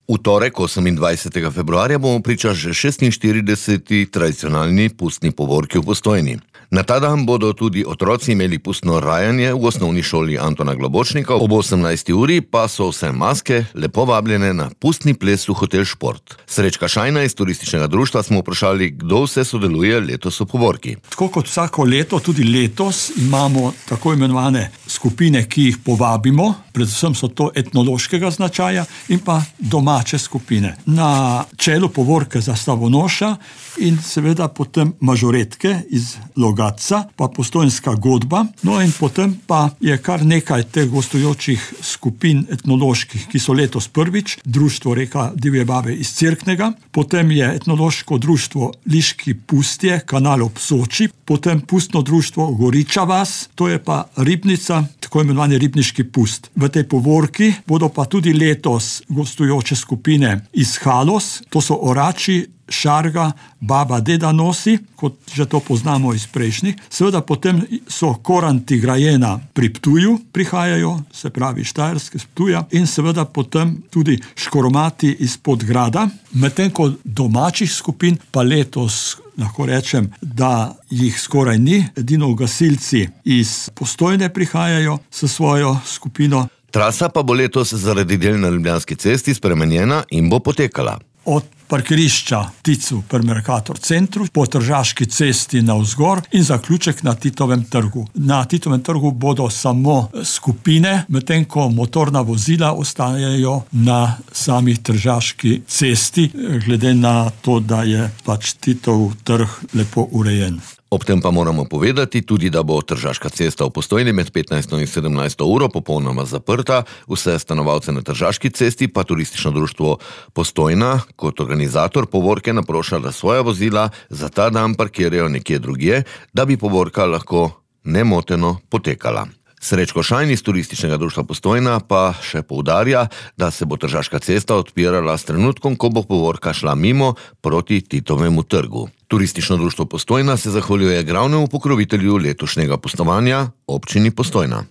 V torek, 28. februarja, bomo priča že 46. tradicionalni pustni povorki v Postojni. Na ta dan bodo tudi otroci imeli pustno rajanje v osnovni šoli Antona Globočnika, ob 18. uri pa so vse maske lepo vabljene na pustni ples v Hotel Šport. Srečka Šajna iz turističnega društva smo vprašali, kdo vse sodeluje letos v povorki. Tako kot vsako leto, tudi letos imamo tako imenovane skupine, ki jih povabimo, predvsem so to etnološkega značaja in pa domače skupine. Na čelu povorke zastavonoša in seveda potem mažoretke iz Logatca, pa postojnska godba, no in potem pa je kar nekaj teh gostujočih skupin etnoloških, ki so letos prvič, društvo Reka divje babe iz Cerknega, potem je etnološko društvo Liški pustje, kanal ob Soči, potem pustno društvo Goriča vas, to je pa ribnica, tako imenovani ribniški pust. V tej povorki bodo pa tudi letos gostujoče skupine iz Halos, to so Orači, Šarga, Baba Deda nosi, kot že to poznamo iz prejšnjih. Seveda potem so Koranti Grajena pri Ptuju prihajajo, se pravi Štajerske z Ptuja, in seveda potem tudi Škoromati iz Podgrada. Medtem ko domačih skupin pa letos lahko rečem, da jih skoraj ni, edino gasilci iz Postojne prihajajo s svojo skupino. Trasa pa bo letos zaradi del na Ljubljanski cesti spremenjena in bo potekala od parkirišča Ticu pri Mercator centru, po Tržaški cesti navzgor in zaključek na Titovem trgu. Na Titovem trgu bodo samo skupine, medtem ko motorna vozila ostajajo na sami Tržaški cesti, glede na to, da je pač Titov trg lepo urejen. Ob tem pa moramo povedati tudi, da bo Tržaška cesta v Postojni med 15. in 17. uro popolnoma zaprta. Vse stanovalce na Tržaški cesti pa turistično društvo Postojna kot organizator povorke naproša, da svoja vozila za ta dan parkirajo nekje drugje, da bi povorka lahko nemoteno potekala. Srečko Šajn iz turističnega društva Postojna pa še poudarja, da se bo Tržaška cesta odpirala s trenutkom, ko bo povorka šla mimo proti Titovemu trgu. Turistično društvo Postojna se zahvaljuje glavnemu pokrovitelju letošnjega pustovanja, občini Postojna.